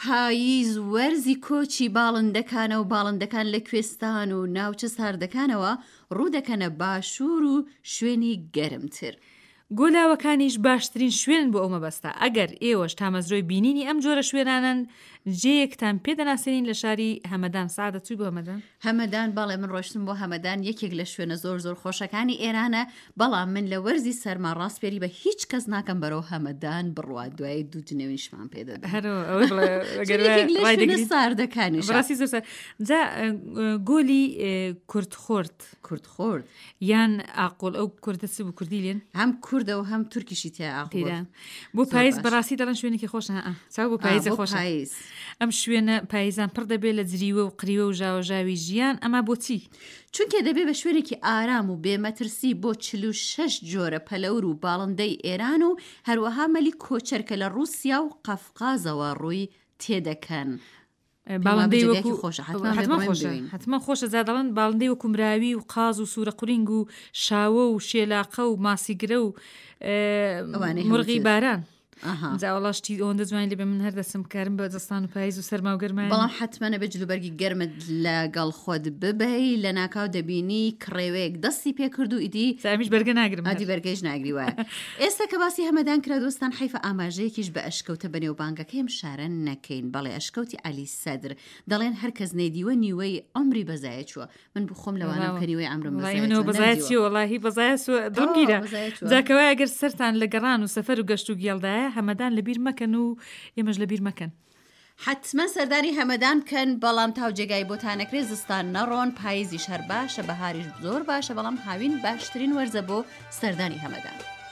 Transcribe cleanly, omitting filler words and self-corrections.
پاییز وەرزی کۆچی باڵندەکانە و باڵندەکان لە کوێستان و ناوچە ساردەکانەوە ڕوودەکەنە باشوور و شوێنی گەرمتر. گۆلاوەکانیش باشترین شوێنن بۆ ئەو مەبەستە، ئەگەر ئێوەش تامەزرۆی بینینی ئەم جۆرە شوێنانەن جێیەکتان پێ دەناسێنین لە شاری هەمەدان، سەعادە چووی بۆ هەمەدان؟ هەمەدان، بەڵێ من ڕۆشتم بۆ هەمەدان یەکێک لە شوێنە زۆر زۆر خۆشەکانی ئێرانە، بەڵام من لە وەرزی سەرما ڕاسپێری بە هیچ کەس ناکەم بەرەو هەمەدان بڕوات دوایی دوو جنێویشمان پێ دەدەن. هەر ئەوەی بڵێ ئەگەر چون یەکێک لە ڕای شوێنە دەگریت ساردەکانیشە. بەڕاستی زۆر سارد. جا گۆلی کوردخورد. کوردخورد. یان ئاقۆل ئەو کوردە چ بوو کوردی لێن؟ هەم کوردە و هەم تورکیشی تیا ئاقۆل. تێدا. بۆ زۆر پایز باش. بەڕاستی دەڵێن شوێنێکی خۆشە ها چاو بۆ ئا، پایزە بۆ خۆشە. پایز. ئەم شوێنە پایزان پڕ دەبێت لە جریوە و قریوە و ژاوەژاوی ژیان ئەما بۆچی؟ چونکە دەبێ بە شوێنێکی ئارام و بێ مەترسی بۆ 46 جۆرە پەلەور و باڵندەی ئێران و هەروەها مەلی کۆچەر کە لە ڕووسیا و قەفقازەوە ڕووی تێدەکەن. باڵندەی وەکو خۆشە حتمما خۆشە حتمما خۆشە جا دەڵێن باڵندەی وەکو مراوی و قاز و سوورە قورینگ و شاوە و شێلاقە و ماسیگرە و مرغی باران جا وەڵا شتی ئەوەندە جوانی لێ بێ من هەر دەچم کارم بە زستان و پاییز و سەرما و گەرمایە بەڵام حتمما ئەبێ جلوبەرگی گەرمت لەگەڵ خۆت ببەی لەناکاو دەبینی کڕێوەیەک دەستی پێکرد و ئیدی جا ئەمیش بەرگە ناگرم هەر. ئادی بەرگەیش ناگری وایە ئێستا کە باسی هەمەدان کرا دۆستان حەیفە ئاماژەیەکیش بە ئەشکەوتە بەنێوبانگەکەی ئەم شارە نەکەین بەڵێ ئەشکەوتی عەلی سەدر دەڵێن هەر کەس نەیدیوە نیوەی عومری بەزایە چووە من بۆ خۆم لەوانەم کە نیوەی عەمرم وەڵایی بەزایە منەوە چووە بەزایە نەمدیوە چیە وەڵاهی بەزایە چووە دڵم تەواو گیرا بەزایە چووە جا کەوایە گەر سەرتان لە گەڕان و سەفەر و گەشت و گێڵدایە هەمەدان لەبیر مەکەن و ئێمەش لەبیر مەکەن. حەتمەن سەردانی هەمەدان بکەن بەڵام تاو جێگای بۆتان نەکرێ زستان نەڕۆن پایزیش هەر باشە بەهاریش زۆر باشە بەڵام هاوین باشترین وەرزە بۆ سەردانی هەمەدان.